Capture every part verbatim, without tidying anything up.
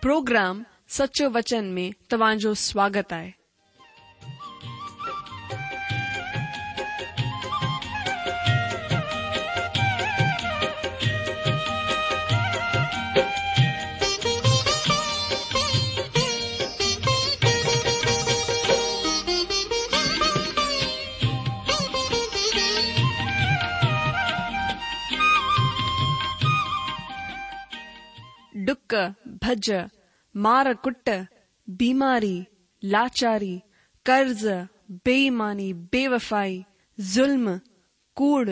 Programme سچو وچن ۾ توهان جو سواگت آهي. ڏڪ، ڀڄ، مار ڪٽ، بيماري، لاچاري، قرض، بي ايماني، بيوفائي، ظلم، ڪوڙ،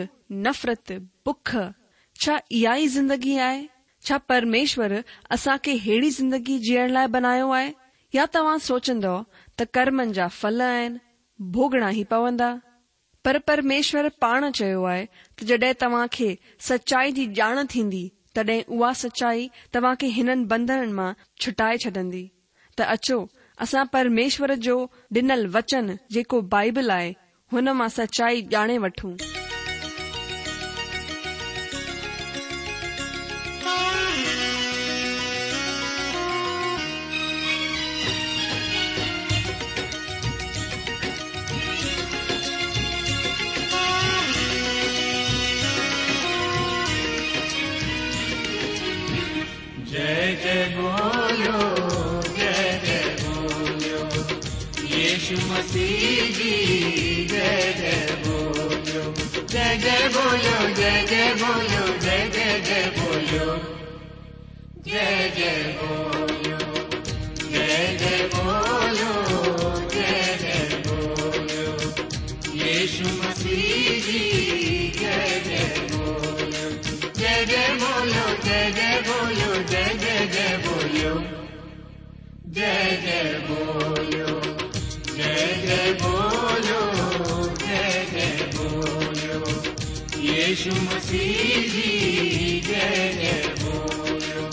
نفرت، بک، ڇا اها ئي زندگي آهي؟ ڇا پرميشور اسان کي ههڙي زندگي جيئڻ لاء بنايو آهي؟ يا توهان سوچندؤ ته ڪرمن جا ڦل آهن، ڀوڳڻا ئي پوندا؟ پر پرميشور پاڻ چيو آهي ته جڏهن توهان کي سچائي جي ڄاڻ ٿيندي، تڏهن اها سچائي توهان کي هنن بنڌنن مان ڇٽائي ڇڏندي. ته اچو اسان پرميشور جو ڏنل وچن جيڪو بائبل آهي، هن مان سچائي ڄاڻي وٺون. जय जय बोलो, जय जय बोलो, यीशु मसीह जी जय जय बोलो, जय जय बोलो, जय जय बोलो, जय जय जय बोलो, जय जय बोलो, जय जय बोलो, जय जय बोलो, यीशु मसीह जी जय जय बोलो, जय जय बोलो, जय जय बोलो, जय जय जय बोलो, जय जय बोलो, जय जय बोलो, जय जय बोलो, यीशु मसीह जी जय जय बोलो।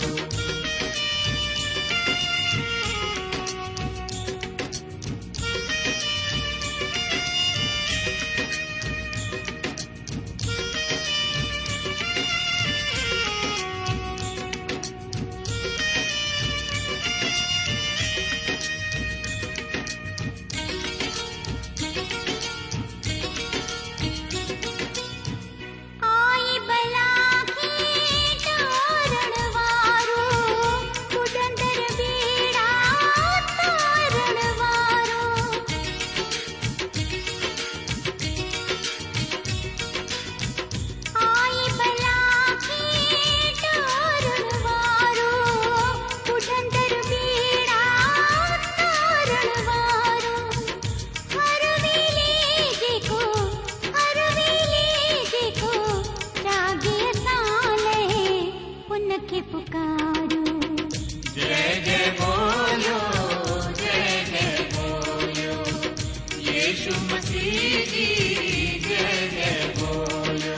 आई बला खे तारण वारो, ॿुॾंदड़ ॿेड़ा तारण वारो। आई बला खे तारण वारो, ॿुॾंदड़ ॿेड़ा तारण वारो। हर वेले जेको, हर वेले जेको जागे असां लहे, उनखे पुकारो। जय जय बोलो, जय जय बोलो, यीशु मसीह जी जय जय बोलो।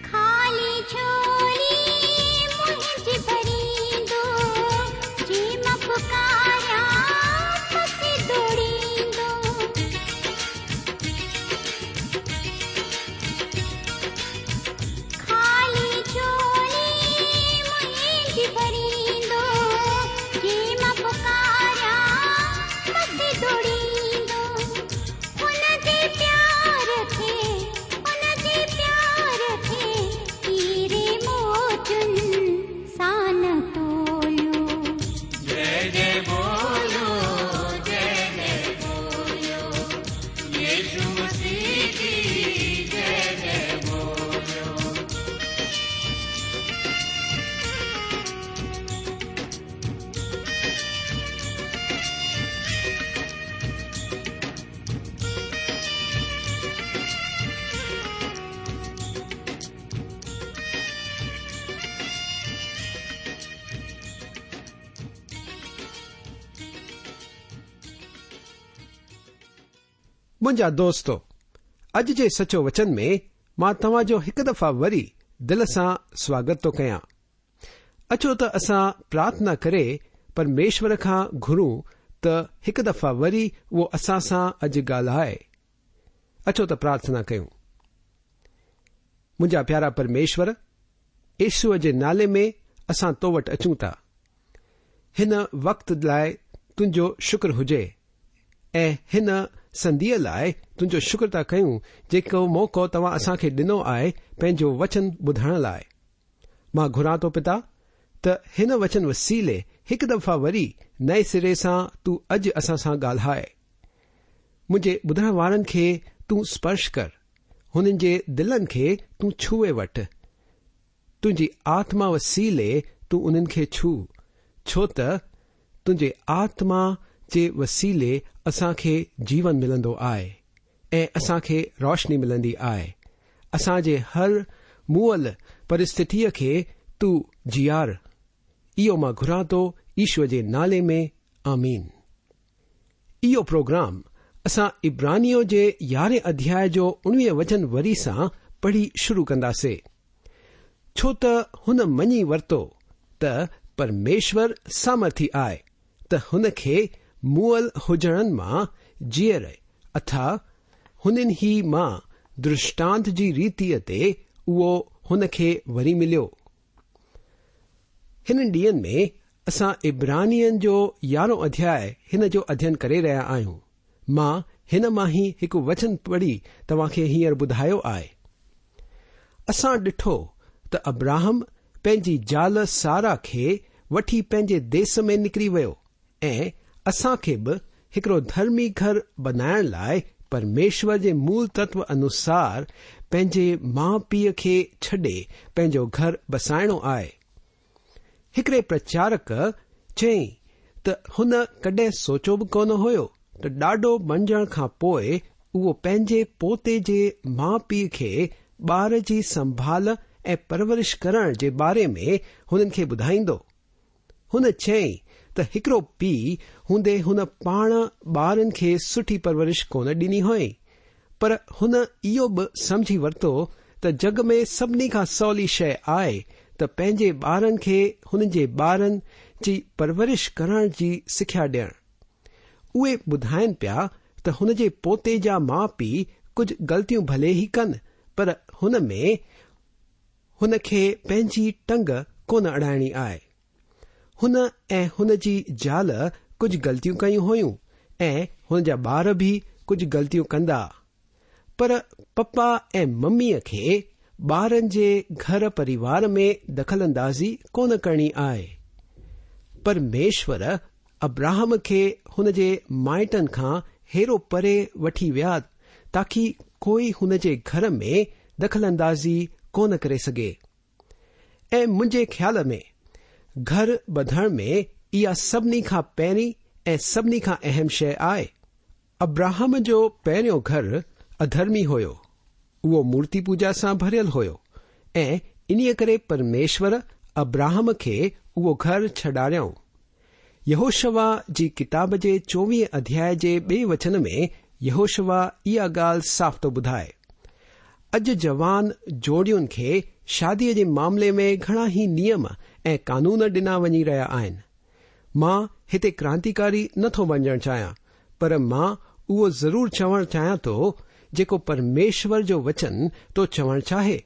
खाली झोली मुंहिंजी भरींदो, जी मां पुकारियां मथी दौड़ींदो। खाली झोली मुंहिंजी भरींदो, जी मां पुकारियां मथी दौड़ींदो। हुन जे प्यार खे, हुन जे प्यार खे हीरे मोतियुनि सां न तोलियो। जय जय बोलो, जय जय बोलो, यीशु मसीह जी जय जय बोलो। منهنجا دوستو، اڄ جي سچو وچن ۾ مان توهان جو هڪ دفعا وري دل سان سواگت ٿو ڪيان. اچو ته اسان پرارٿنا ڪري پرميشور کان گهرون ته هڪ دفعا وري اهو اسان سان اڄ ڳالهائي. اچو ته پرارٿنا ڪيون. منهنجا پيارا پرميشور، يشوء جي نالي ۾ اسان تو وٽ اچون ٿا. هن وقت لاءِ تنهنجو شڪر هجي ۽ هن سنڌيءَ لاءِ تنهنجو شڪر ٿا ڪيون جيڪو موقعو توهان اسان کي ڏنو آهي پنهنجو وچن ٻڌائڻ لاءِ. مان گهران ٿو پتا ته هن وچن وسيلي هڪ دفعا وري نئين سري سان تون اڄ اسان سان ڳالهائي. منهنجي ٻڌڻ وارن کي تون سپرش ڪر، هنن جي دلن کي تون ڇهي وٺ. تنهنجي آتما وسيلي تون انهن کي ڇو، ڇو ته تنهنجي آتما جي وسيلي اسان کي جيون ملندو آهي ۽ اسان کي روشني ملندي آهي. اسان جي هر مئل پرسٿتيءَ کي تون جيار. اهو مان گهران ٿو ايشور جي نالي ۾، آمين. اهو پروگرام اسان عبرانيءَ جي يارهين اڌياءِ جو اڻويهه وچن وري سان پڙهي شروع ڪنداسين. ڇو ته هن مڃي ورتو ته پرميشور سامرٿي آهي ته هن کي مئل هجڻن مان جيئري اٿا هنن ئي مان درشٽانت جي ريتيءَ تي اهو هن کي وري مليو. هنن ڏينهن ۾ اسان عبرانين جو يارهون اڌياءِ هن جو اڌيين ڪري رهيا آهيون. مان هن مان ئي هڪ وچن پڙهي توهان کي هينئر ٻڌايو آهي. اسان ڏٺو ته ابراهم پنهنجي زال سارا کي وٺي پنهنجي ديس ۾ نڪري ويو ۽ اسان کي به هڪڙو ڌرمي گهر بنائڻ لاءِ پرميشور جي مول تتو انوسار پنهنجي ماءُ پيءُ کي ڇڏي پنهنجو گهر بسائڻو آهي. هڪڙي پرچارڪ چيائين ته هن ڪڏهن سوچيو به ڪونه هيو ته ڏاڏو بڻجڻ کان پوءِ اهو پنهنجي پوتي جي ماءُ پيءُ کي ٻار جي سنڀال ۽ پرورش ڪرڻ جي باري ۾ هنن کي ٻڌائيندو. هن چيائين ته هڪڙو پيءُ هوندي هن پاڻ ٻارن کي سٺي پرورش ڪونه ڏني هئي، پر هن اهو به سمجهي ورتو ته جڳ ۾ سڀني کان سولي شيءِ آهي ته پنهنجي ٻارن کي هنن جي ٻارن جي پرورش ڪرڻ جي سکيا ڏيڻ. اهي ٻڌائين پيا ته هن جي پوتي جا ماءُ پيءُ ڪجهه غلطيون ڀلي ئي ڪن، پر هن ۾ هن کي پنهنجي ٽنگ ڪونه اڙائڻي آهي. هن ۽ هن جي زال ڪجهه غلطيون ڪيون هيون ۽ هن جا ٻار به ڪجهه غلطيون ڪندا، پر پپا ۽ مميءَ کي ٻارن جي گهر پريوار ۾ دخل اندازي ڪونه ڪرڻي آهي. پرميشور ابراهم کي هن جي مائٽن کان هيرو پري وٺي ويا تاڪه ڪوئي هن جي گهر ۾ دخل اندازي ڪونه ڪري سگهي. ۽ منهنجي خيال ۾ گهر ٻڌڻ ۾ اها سڀني کان پهرين ۽ سڀني کان اهم شيءِ آهي. ابراهم جو پهريون گهر اڌرمي هيو. اهو مورتي پوڄا سان ڀريل هيو ۽ انهيءَ ڪري پرميشور ابراهم کي اهو گهر ڇڏاريائون. يهوشوا جي ڪتاب جي چوويهه اڌياءِ جي ٻئي وچن ۾ يهوشوا اها ڳالهه صاف ٿو ٻڌائي. اڄ جوان جوڙين کي شاديءَ جي معاملي ۾ گهڻا ئي نيم ۽ قانون ڏنا وڃي رهيا آهن. مان هتي ڪرانتيڪاري نٿو بڻجڻ چاهيان، پر مان اهو ضرور چوڻ چاهيان ٿو جيڪو پرميشور جو وچن ٿو چوڻ چاهي.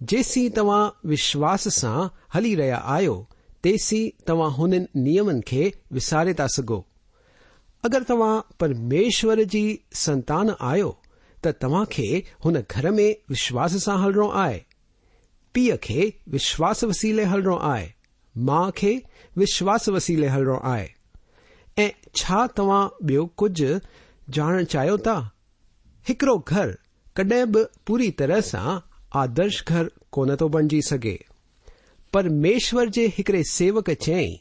جيسين توهان وشواس سان هلي رهيا آهيو تيسين توهان هنن نيمن کي وساري ٿا سگهو. اگر توهان پرميشور جي سنتان آهيو ته توهان کي هن گهر ۾ وشواس سان هلڻو آهي. پيءُ کي وشواس وسيلي هلڻو آهي، ماءُ کي وشواس وسيلي هلڻو آهي. ۽ ڇا توهان ٻيو ڪجهه ڄاڻڻ چاهيو ٿا؟ هڪڙو گهر ڪڏهن به پوري طرح سان آدرش گهر ڪونه ٿو بڻجي سگهي. پرميشور جي هڪڙي سيوڪ چيائين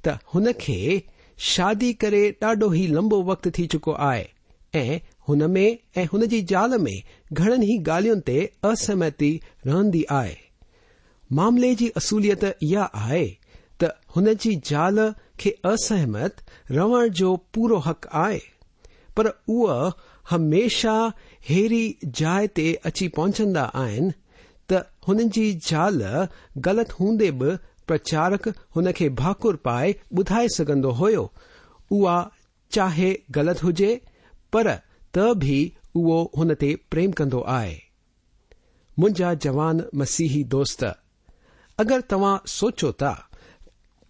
ته هن کي شادي ڪري ڏاڍو ئي لمبو وقت ٿي چڪو آهي ۽ هن ۾ ۽ هن جي زال ۾ گهڻن ئي ڳالهين تي اسهمتي رهندي آهي. معاملي جي اصوليت اها آهي ته هن جي زال کي اسهمت رهڻ جو پورو حق آهي، پر اها هميشه هيري جاءِ تي اچي پهچندا آهن ته هنن جي زال غلط هوندي به پرچارڪ هن کي ڀاڪر پائي ٻڌائي سگهندو هيو. اها چاهي غلط هجي پر ته به اهو هن تي پريم ڪندو آهي. منهنجا جوان مسيحي دوست، اگر توهان سوچو ٿا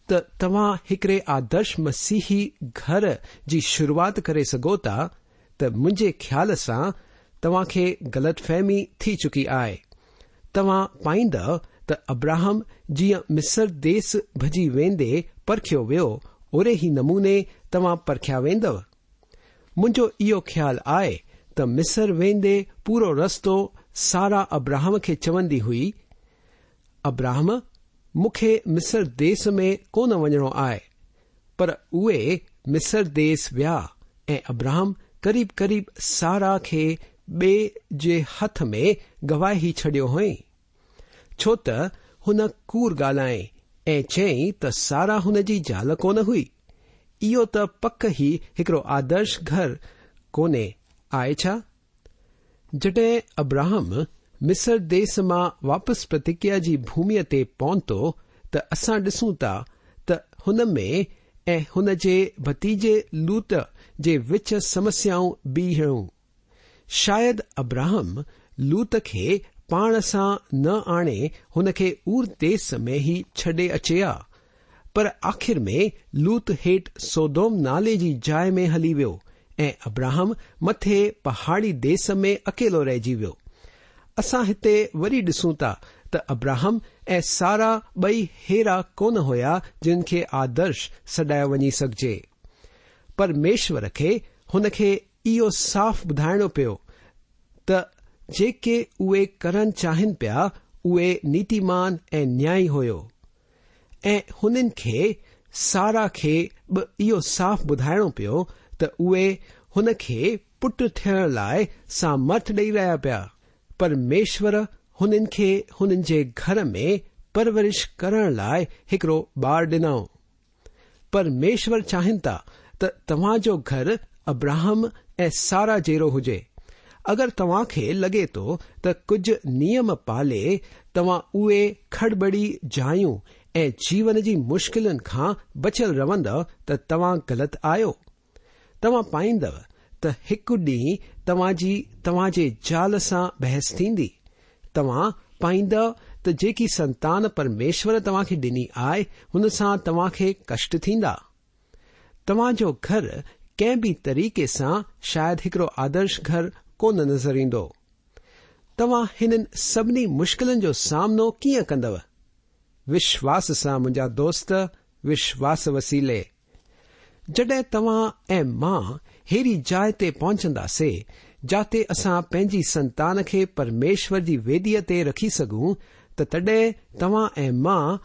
ته توهان هڪڙي آدرش مسيحي گهر جي شروعات ڪري سگهو ٿا ته منهنجي خيال سان توهان کي غلط فهمي ٿي چڪي آهي. توهان پائيندؤ ته ابراهم جيئن مصر ديس ڀڄي ويندي پرکيو ويو، اوڙي ئي نموني توهان پرکيا ويندؤ. منهنجو اهو خيال آهي ته مصر ويندي پورو رستو سارا ابراهم کي چوندي هئي، ابراهم مون کي مصر ديس ۾ ڪونه وڃڻو آهي. پر اهي مصر ديس ويا ۽ ابراهم قريب قريب سارا کي ٻئي جي هٿ ۾ گوائي ڇڏيو هئائين، ڇو ته هن ڪوڙ ڳالهائي ۽ چيائين ته سارا هن جي زال ڪونه هئي. اهو ته پڪ ئي هڪڙو آدرش گهر ڪونهي آهي ڇا؟ جڏهن ابراهم مصر ديس مان واپس پرتگيا جي ڀوميءَ تي پهتو ته اسان ڏسون ٿا ته هن ۾ ۽ هن جي ڀتيجي لوط جي وچ سمسيائون بيهيون. شايد ابراهم لوط کي پاڻ سان نه آڻي هن کي اور ديس ۾ ئي ڇڏي اچي ها، پر آخر ۾ لوط هيٺ سودوم نالي جي جاءِ ۾ هلي ويو ۽ ابراهم مٿي پهاڙي ديس ۾ اڪيلو رهجي ويو. اسان هتي وري ڏسون ٿا ته ابراهم ۽ سارا ٻئي هيرا ڪونه هيا جن کي آدرش سڏايو وڃي سگهجي. پرميشور کي هن کي اهو صاف ٻڌائڻو پيو ته جيڪي اهي ڪرڻ چاهين پيا اهي نيتيمان ۽ نيائي هيو، ۽ هنن کي سارا کي به اهو صاف ٻڌائڻو پيو ته اهي هن کي پٽ ٿيڻ لاءِ سامرٿ ڏيئي رهيا پيا. پرميشور هنن کي هنن جي گهر ۾ پرورش ڪرڻ لاءِ هڪڙو ٻار ڏنو. پرميشور چاهين ٿا ته توهان جو گهر ابراهم ۽ سارا جهڙو هجي. اگر توهان کي لڳي ٿو ته ڪجهه نيم پالي توهان اهي کڙٻڙي جايون ۽ جيون جي مشڪلن کان بچيل رهندؤ ته توهان غلط آهيو. توهان پائيندؤ ته هڪ ڏينهن توهان جي توهان جي زال سان بحث ٿيندي. توهان پائيندؤ ته جيڪي سنتان پرميشور توهان کي ڏني آهي هن سان توهان کي ڪشٽ ٿيندا. توهان جو گهر ڪنهن به طريقي سان شايد هڪڙو آدرش گهر ڪونه نظر ايندو. توهان هنن سڀني مشڪلن جو سامنو ڪيئن ڪندؤ؟ وشواس سان منهنجا دوست، وشواس وسيلي. جڏهن توهان ۽ مان هيڙي جاءِ تي پهچنداسي جاتي اسان پنهنجي سنتان کي پرميشور جي ويديءَ تي رکي سگهون ته تڏهن توهان ۽ مان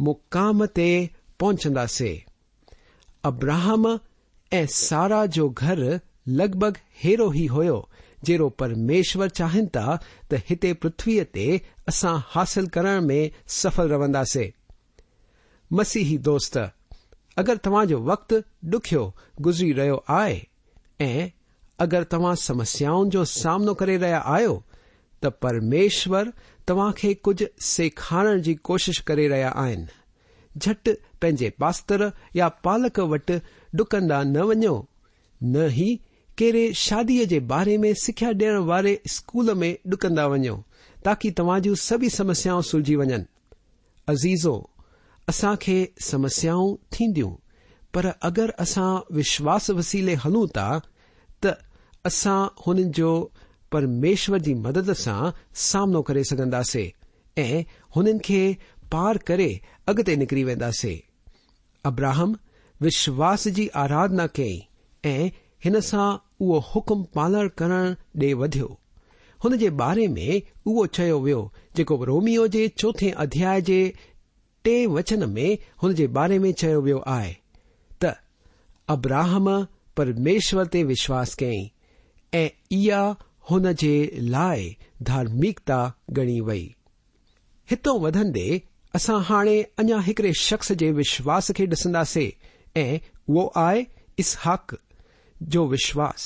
مقام تي پهچنداسي. ابراهم ۽ سارا جو گهر لڳ ڀڳ هيڙو ئي هيو جهڙو پرميشور چاهين ٿا ته هتي پرٿويءَ تي اسان حاصل ڪرڻ ۾ سڦل رهنداسي. مسيحي دوست، اگر توهان جو وقت ڏکيو گذري رهيو آهي ۽ اگر توهان سمسيائن جو سامنو ڪري رهيا آهيو ته پرميشور توهان کي ڪجهه سيکارڻ جي ڪوشش ڪري رهيا آهن. جهٽ پنهنجي پاستر يا پالڪ وٽ ڊڪندا نه وڃو، نه ئي ڪهڙي شاديءَ جي باري ۾ سکيا ڏيڻ واري اسڪول ۾ ڊڪندا وڃو تاڪه توهان جون سڀئي سمسيائون سلجهي وڃن. عزيزو، اسان کي سمسيائون ٿينديون، پر اگر اسان وشواس وسيلي هلون ٿا ته اسان هنن جو پرميشور جي مدد سان سامنو ڪري سگهنداسي ۽ هنن کي پار ڪري اڳتي نڪري وينداسي. ابراهم وشواس جي آراڌنا ڪئي ۽ هن سان اهو حڪم پالڻ ڪرڻ ڏي وڌيو. هن جي باري ۾ اهو چيو ويو جيڪو روميو جي چوٿين اڌياءِ جي ٽي وچن ۾ هن جي باري ۾ چيو ويو آهي ته ابراهم پرميشور تي وشواس ڪيائين ۽ اها هن جي لاءِ ڌارمڪتا ڳڻي وئي. هتان وڌندي اسان هاڻي اڃا هڪڙي شخص جي وشواس کي ڏسنداسي ۽ اهو آهي اسحاق جو وشواس.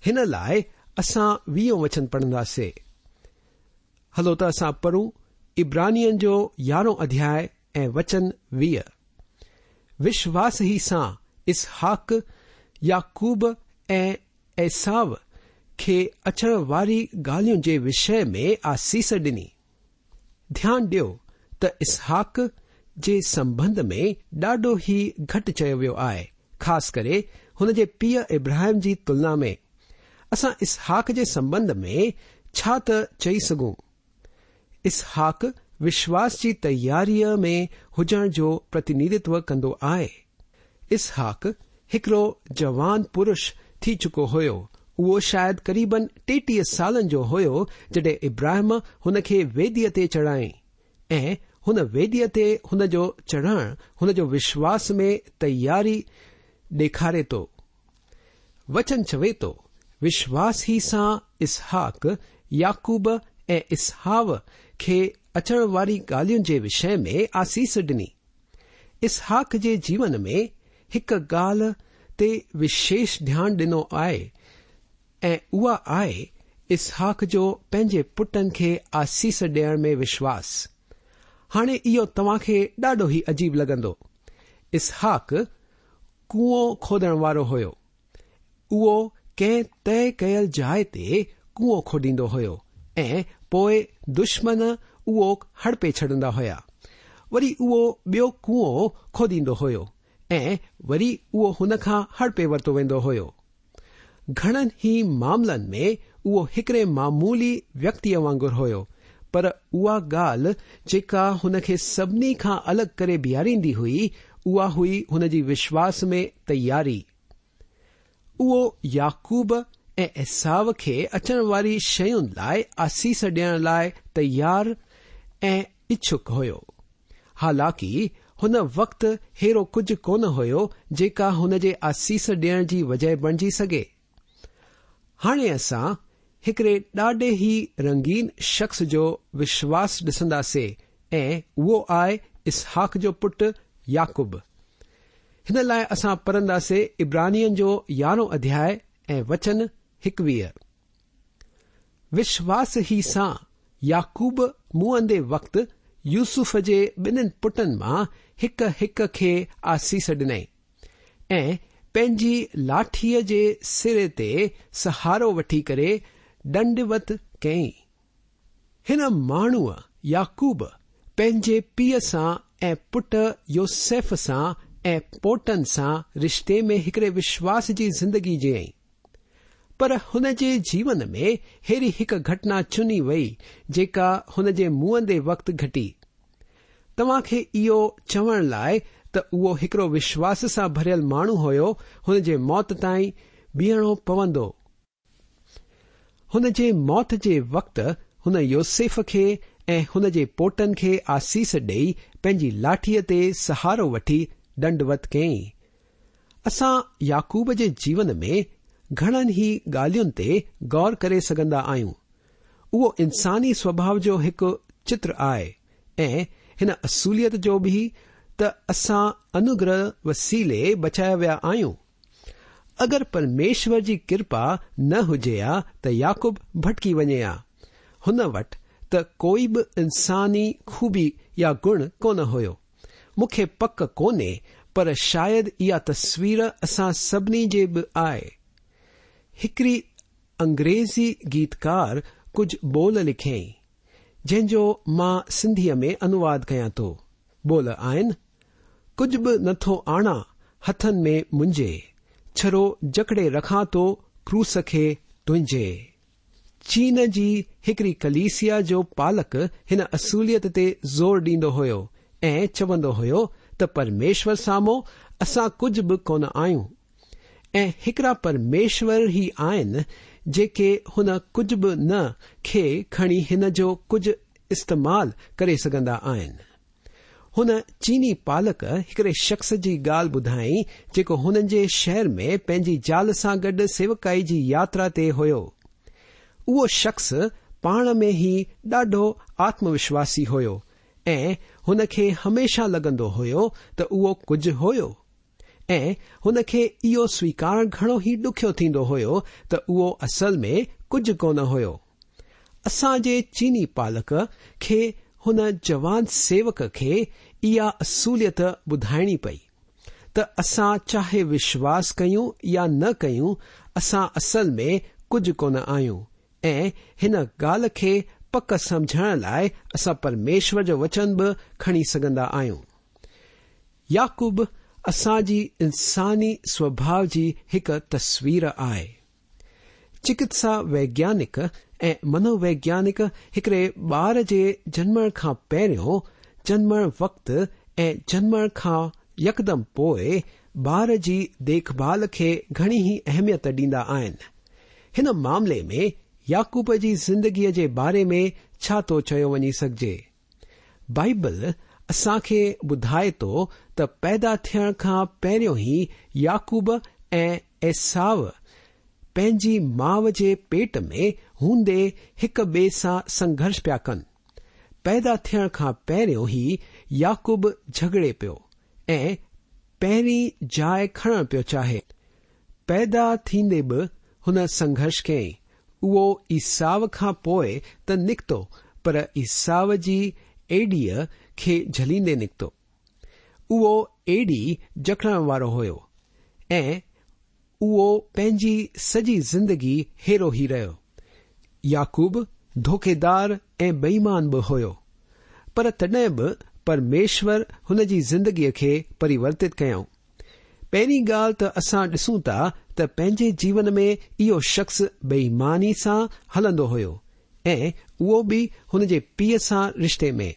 هن لاءِ اسان ويهون وچن پڙهنداسين. هلو ته اسان پڙهون عبرانين جو يارهون اڌياء ۽ وچن ويهه. وشواس ئي سان اسحاق، يعقوب ۽ عيسو کي اچڻ واري ڳالهين جي وشي ۾ آسيس ڏني. ڌيان ڏيو ته اسحاق جي سنٻنڌ ۾ ڏاڍو ئي گهٽ چيو ويو آهي، خاص ڪري هن جي پيءُ ابراهيم جي تلنا ۾. اسان اسحاق جي سنٻنڌ ۾ ڇا ته چئي سگهون؟ اسحاق وشواس جي تياريءَ ۾ هجڻ جو پرتنڌتو ڪندو آهي. اسحاق هڪڙو جوان پرش ٿي چڪو هيو. اهو شايد قريبن ٽيٽيهه سالن جو هيو جڏهن ابراهيم هن کي ويديءَ تي چڙهائين ۽ هن ويديءَ تي هن جو چڙهڻ هن جو وشواس ۾ تياري ڏيکاري ٿو. وچن چوي ٿو، وشواس ئي سان اسحاق، يعقوب ۽ عيسو کي اچڻ واري ڳالهين جي وشي ۾ آسيس ڏني. اسحاق جي جيون ۾ هڪ ڳالهه تي وشيش ڌيان ڏنو آهي ۽ اها آهي اسحاق جو پنهنجي پٽن کي آسيس ڏيڻ ۾ وشواس. هاڻي اهو توهان کي ڏاڍو ئي عجيب لڳندو. اسحاق ڪوئو کوڏڻ وارو هيو. اهو ڪنهن طئي ڪيل جاءِ تي ڪوئو کوڏيندو هيو ۽ پوءِ دشمن اهو هڙپي ڇڏندا هيا. وري اهو ٻيو ڪوئو کوڏيندو هيو ۽ وري اهو هن کان هڙپي ورتو ويندو هيو. گهڻن ئي معاملن ۾ اهو هڪڙي معمولي ويڪتيءَ وانگر هيو، پر اها ڳالهه جيڪا هن کي سڀني کان الڳ ڪري بيهاريندي هئي، اها هئي هن جي وشواس ۾ تياري. اهو يعقوب ۽ عيسو کي اچڻ واري شين لاءِ آسيس ڏيڻ لاءِ تيار ۽ اڇڪ هيو. حالانڪه هن وقت ههڙو ڪجهه ڪونه هيو جيڪا هن جي آسيس ڏيڻ جي وجهه بڻجي سگهي. هاڻي اسان هڪڙي ڏاڍي ئي رنگين شخص جو وشواس ڏسنداسين ۽ اهو آهي اسحاق جو پٽ يعقوب. هن لاءِ اسان پڙهنداسين عبرانين جو يارهون اڌياء ۽ وچن هڪويهه. وشواس ئي سان يعقوب مئندي وقت يوسف جي ٻنهن پٽن مان هڪ هڪ کي آسيس ڏنائين ۽ پنهنجي لاٺيءَ جي سري تي سهارو وٺي ڪري ڏنڊوت ڪيائين. هن ماڻهوءَ يعقوب پنهنجي پيءُ سان ۽ پٽ يوسف سان ۽ پوٽن سان رشتي ۾ هڪڙي وشواس جي زندگي جيئي. پر هن جي جيون ۾ ههڙي هڪ گهٽنا چني وئي جيڪا هن جي مئندي وقت گهٽي. توهان کي اهو چوڻ لاءِ ته اهو هڪڙو وشواس سان ڀريل ماڻهو هيو، هن جي موت تائين بيهڻو پوندو. هن جي موت جي وقت هن يوسف کي ۽ هن جي پوٽن کي آسيس ڏيئي پنهنجي لاٺيءَ تي سهارو وٺي ڏنڊوت ڪيائين. اسان يعقوب جي جيون ۾ گهڻن ئي ڳالهين تي غور ڪري سگهندا آهيون. اهو انساني سوڀاءُ جو هڪ چتر آهي ۽ هن اصوليت جو به ته اسان انوگره وسيلي بچايا ويا آهيون. اگر پرميشور جي ڪرپا نه هجي ها ته يعقوب ڀٽڪي وڃي ها. هن وٽ ته ڪوئي به انساني خوبي يا گڻ ڪونه هيو. مون کي پڪ ڪونهي، پر شايد اها تصوير اسان سڀني جي به آهي. هڪڙي انگريزي گيتڪار ڪجهه ٻول لکيائين، جنهن جو مان سنڌيءَ ۾ انواد ڪيان ٿو. ٻول آهن، ڪجهه به نٿو آڻان هٿن ۾ منهنجي، ڇڙو جڪڙي رکان ٿو ڪروس کي تنهنجي. چين جي هڪڙي ڪليسيا جو پالڪ هن اصوليت تي زور ڏيندو هيو ۽ چوندو هيو ته پرميشور سامهون اسان ڪجهه به ڪونه آهيون ۽ هڪڙا پرميشور ئي آهن جيڪي هن ڪجهه به نه کي کڻي هن جو ڪجهه استعمال ڪري سگهندا آهن. هن چيني پالڪ هڪڙي شخص جي ڳالهه ٻڌائي جيڪو هنن جي شهر ۾ پنهنجي زال سان گڏ سيوڪائي جي ياترا تي هيو. اهو شخص پاڻ ۾ ئي ڏاڍو آتم وشواسي هيو ۽ هن کي هميشه لڳندو هيو ته اهو ڪجهه هيو ۽ هن کي اهو سويڪارڻ گهڻو ئي ڏکيو ٿيندو هيو ته اهو اصل ۾ ڪجهه ڪونه هيو. اسان جي چيني پالڪ کي هن جوان سيوڪ کي اها اصوليت ٻڌائڻي پئي ته اسان چاهي وشواس ڪيون يا نه ڪيون، اسان اصل ۾ ڪجهه ڪونه آهيون ۽ هن ڳالهه کي پڪ سمجهڻ لاءِ اسان پرميشور جو وچن به کڻي سگهندا آهيون. يعقوب اسان جي انساني سوڀاءُ جي هڪ تصوير آهي. چڪتسا ويگيانڪ ۽ منوويگيانڪ هڪڙي ٻار جي جنمڻ کان پهريون، جنمڻ وقت ۽ جنمڻ کان يڪدم پوءِ ٻار جي ديکڀال کي گهڻي ئي اهميت ڏيندا آهن. هن معاملي ۾ يعقوب جي زندگيءَ جي باري ۾ ڇا ٿو چيو وڃي سگهجي؟ بائيبل اسان کي ٻڌائي ٿو ته پيدا ٿيڻ کان پهريون ئي يعقوب ۽ ايساو پنهنجي ماءُ جي پيٽ ۾ هوندي هڪ ٻئي سان سنگهرش پيا ڪن. پيدا ٿيڻ کان پهريون ئي يعقوب جهڳڙي پيو ۽ پهرين جاءِ کڻڻ پيو چاهي. پيدا ٿيندي به هن سنگهرش ڪيائين. اهو ايساو کان پوءِ ته نڪتو، پر ايساو جي ايڏيءَ کي جهليندي نڪتو. اهو ايڏي جڪڙڻ وارو هيو ۽ اهو پنهنجي سڄي زندگي هيرو ئي رهيو. يعقوب ڌوکيدار ۽ بيمان به هيو، پر تڏهن به پرميشور هن جي زندگيءَ کي پريورتت ڪيائون. پهرين ڳالهه ته اسان ڏسون ٿا ته پنهنجي جيون ۾ اهو شخص بيماني سان هلندو هيو ۽ اهو به هن جي پيءُ سان رشتي ۾.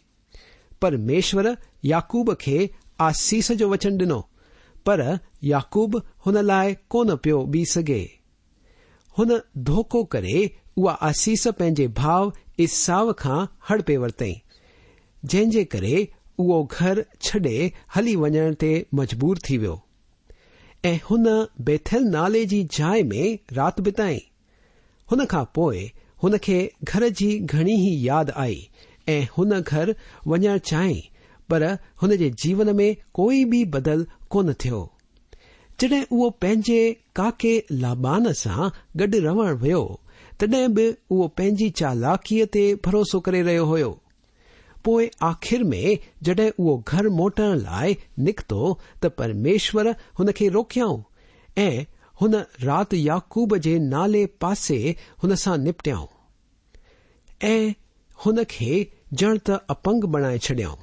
پرميشور يعقوب کي آسيس جو وچن ڏنو، پر يعقوب هن لاءِ ڪونه پيو بيهه سگهي. هن ڌوکو ڪري اها آسيس پنهنجي ڀاءُ ايساو کان هڙپي ورتائين، جنهن جي ڪري اهو گهر ڇڏي هلي وڃڻ تي مجبور ٿي ويو ۽ هن بيٿل نالي جي جاءِ ۾ رات بتائي. هن کان پوءِ هن کي گهر جي گهڻي ئي ياد آئي ۽ هن گهر وڃڻ چاهيائين، پر هن جي جيون ۾ ڪوئي به بدل ڪونه ٿيو. جڏهن اهو پنهنجي ڪاڪي لابان سان گڏ رهڻ ويو، تڏهن به اهو پنهنجي چالاڪيءَ تي ڀروسو ڪري رهيو هيو. پوءِ آخر ۾ جڏهن اهو گهر موٽڻ لاءِ نڪتو ته پرميشور هن کي روڪيائون ۽ هن رات يعقوب جي نالي پاسي هن سان نپٽيائون ۽ هن کي ڄڻ ته اپنگ بڻائي ڇڏيائون.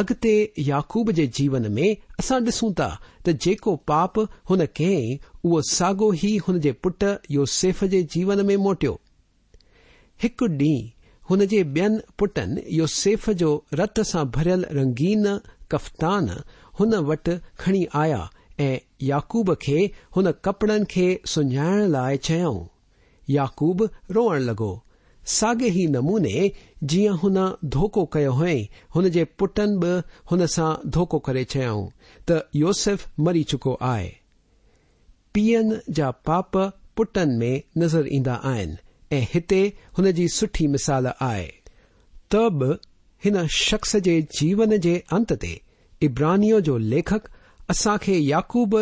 اڳتي يعقوب جي جيون ۾ اسان ڏسون ٿا ته جيڪو پاپ هن ڪيائين اهو ساڳيو ئي هن جي پٽ يوسف جي جيون ۾ موٽيو. هڪ ڏينهن هن جي ٻين پٽن يوسف جو رت سان ڀريل رنگين ڪفتان هن وٽ کڻي آيا ۽ يعقوب کي هن ڪپڙن کي سڃاڻڻ لاءِ چيائون. يعقوب روئڻ لڳو. ساڳئي ئي نموني جيئن هن ڌوکو ڪيو هئائين، هن جي پٽن به هن سان ڌوکو ڪري چيائون ته يوسف مري چڪو آهي. پيئن جا پاپ پٽن ۾ نظر ايندا آهن ۽ هتي هن جي سٺي مثال آهي. ته به هن شخص جي جيون جي انت تي عبرانيءَ جو ليکڪ اسان کي يعقوب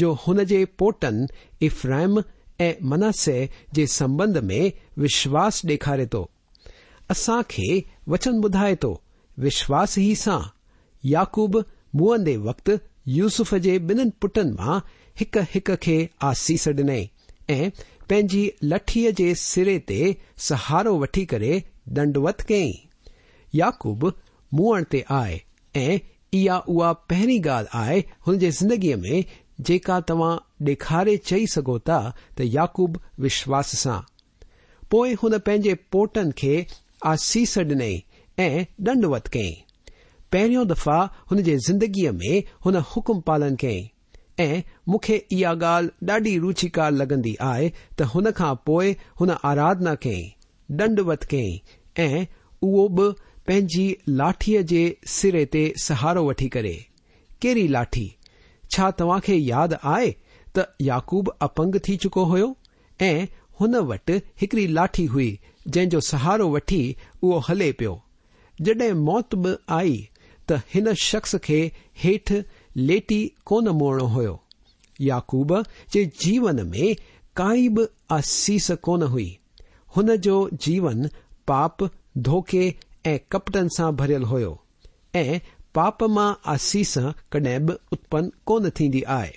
جو هن جي پوٽن افرائيم ۽ مناسي جي سنٻنڌ ۾ وشواس ڏيکاري ٿو. اسان کي وچن ٻڌائي ٿو، وشواس ئي سان يعقوب مئندي وقت يوسف جي ٻنهن پٽن مان هڪ هڪ کي آسيس ڏنائين ۽ پنهنجي لٺيءَ جي سري تي سهارو وٺي ڪري ڏنڊوت ڪيائين. يعقوب مئڻ تي آئي ۽ اها اها پهرين ڳالهه آهي هن جي زندگيءَ ۾ جيڪا توهان ڏيکاري چئي سگهو ٿا ته يعقوب وشواس سان. پوءِ هن پنهنجي پوٽن کي آسيس ڏنائين ۽ ڏنڊوت ڪيائين. پهريون دفعا هن جي زندگيءَ ۾ هن حڪم پالن ڪيائين ۽ مون کي اها ڳالهه ڏاڍي رچيڪار لڳندي آهي ته هن کان پوءِ هن آراڌنا ڪيائين، ڏنڊوت ڪيائين ۽ اهو به پنهنجي لاٺيءَ جي سري تي سهارو وٺي ڪري. ڪهڙي لاٺي؟ ڇا توهان کي ياد آهي ته يعقوب اپنگ ٿي چڪو هيو ۽ هن وٽ هڪڙي لاٺي هئي جنهن جو سهارو وٺي اهو هلي پيو. جڏهن موت به آئي ته هن شخص کي هيٺ ليٽي ڪونه موئڻو هيو. يعقوب جي جيون ۾ ڪائي به آسيس ڪونه هئي. هن جو جيون پاپ، ڌوڪي ۽ ڪپٽن سان ڀريل هيو ۽ پاپ مان آسيس ڪڏهن به اتپن ڪونه ٿيندي آهي.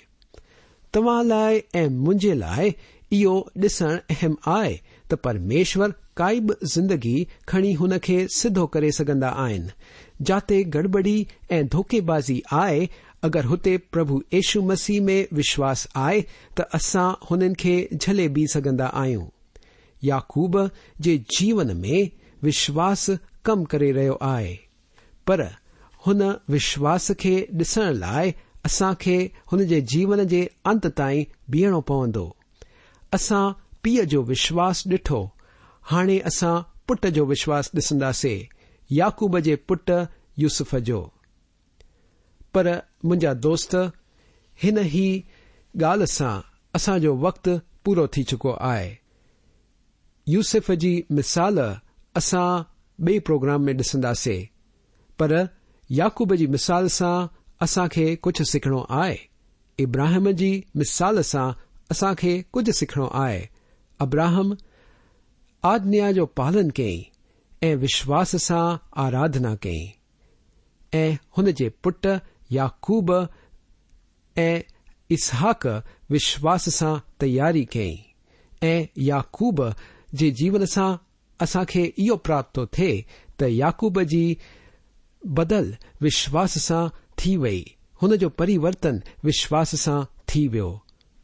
توهان لاء ۽ منهنجي لاء اهو ڏسڻ اهم آهي ته پرميشور ڪائي به زندگي کڻي هن کي سڌو ڪري سگهندا آهن. جاتي گڙٻڙي ۽ ڌوڪيبازي آهي، اگر هتي پرڀو يشو مسيح ۾ وشواس آهي ته اسان هنن کي جهلي به سگهندا آهيون. يعقوب جي جيون ۾ وشواس ڪم ڪري رهيو آهي، پر هن وشواس کي ڏسڻ لاء اسان کي هن جي جيون جي انت تائين بيهڻو پوندو. اسان پيء جو وشواس ڏٺو، هاڻي اسان پٽ جو وشواس ڏسنداسي، يعقوب جي پٽ يوسف جو. پر منهنجا دوست، هن ئي ڳالهه سان اسان جو وقت پورو ٿي چڪو آهي. يوسف جي مثال اسان ٻئي پروگرام ۾ ڏسنداسي، پر يعقوب جي مثال سان اسان کي ڪجهه سکڻو آهي. ابراهيم جي مثال سان اسان کي ڪجهه سکڻو آهي. ابراهم آجنا جو پالن ڪيائين ۽ وشواس سان آراڌنا ڪيائين ۽ هن جي پٽ يعقوب ۽ اسحاق وشواس سان تياري ڪيائين ۽ يعقوب جي جيون سان اسان کي اهو پراپت ٿو ٿئي ته يعقوب جي بدل وشواس سان ٿي وئي. هن جو پريورتن وشواس سان ٿي ويو.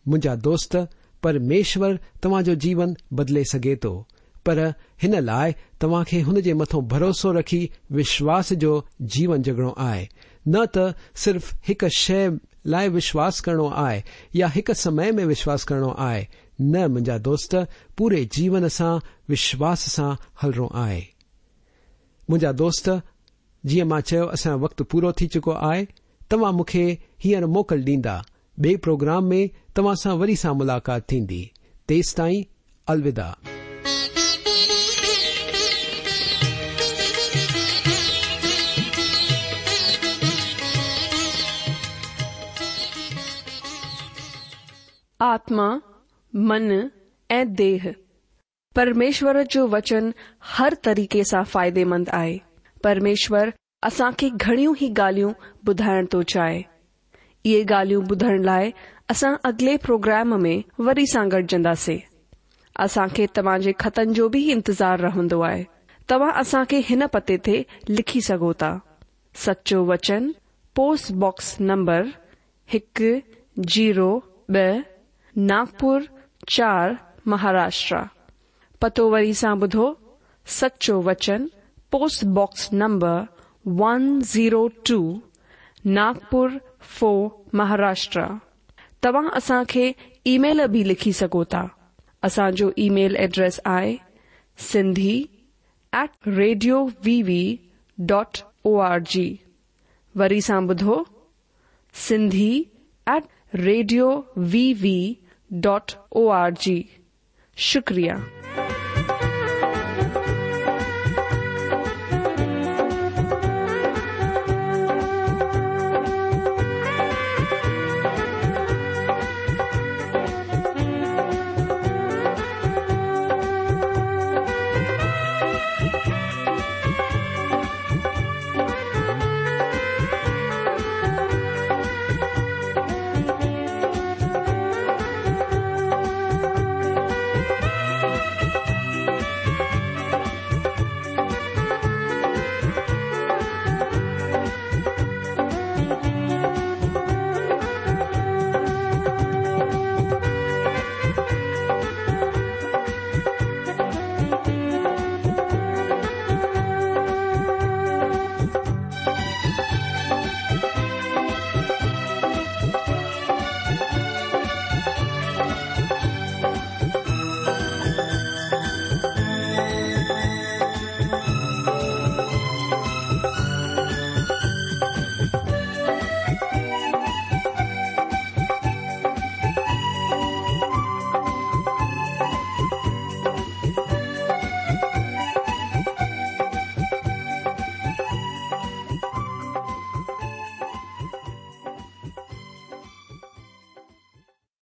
منهنجا دوست، پرميشور توهان جو جيون بدلي سگهي ٿو، پر هن لاءِ توهان کي هن جي مٿان ڀروسو رکي وشواس جو جيون جڳڻو آهي. نه ته صرف هڪ شيءِ لاءِ وشواس ڪرڻو آهي يا هڪ سمي ۾ وشواس ڪرڻو آهي. نه منهنجا دوست، پوري جيون سان وشواس سان هلڻو آهي. منهنجا دوست، جيئن مان چيو اسان جو وقت پورو ٿي چڪو آهي. توهان مون کي هينئر موڪل ڏيندا. ٻئي پروگرام ۾ توهان سان وري سان ملاقات ٿيندي. تيستائين الوداع. آتما، من ۽ ديهه. پرميشور جو وچن هر طريقي سان فائديمند آهي. پرميشور اسان کي گهڻيون ئي ڳالهيون ٻڌائڻ ٿو چاهي. اهي ڳالهيون ٻڌڻ لاءِ اسان اڳلي پروگرام ۾ وري سان گڏجنداسين. اسان کي توهان جي خطن جو به انتظار رهندو آهي. توهان اسان کي هن پتي تي لکي سگهو ٿا. سچو وچن، پوسٽ باڪس نمبر هڪ زيرو ٻه، ناگپور چار، مهاراشٽر. پتو وري سان ٻڌو، سچو وچن، post box number one zero two, Nagpur four, Maharashtra. توهان اسان کي اي ميل به لکي سگهو ٿا. اسان جو اي ميل ايڊريس آهي Sindhi at radio V V dot O R G. وري سان ٻڌو، Sindhi at radio V V dot O R G. شڪريه.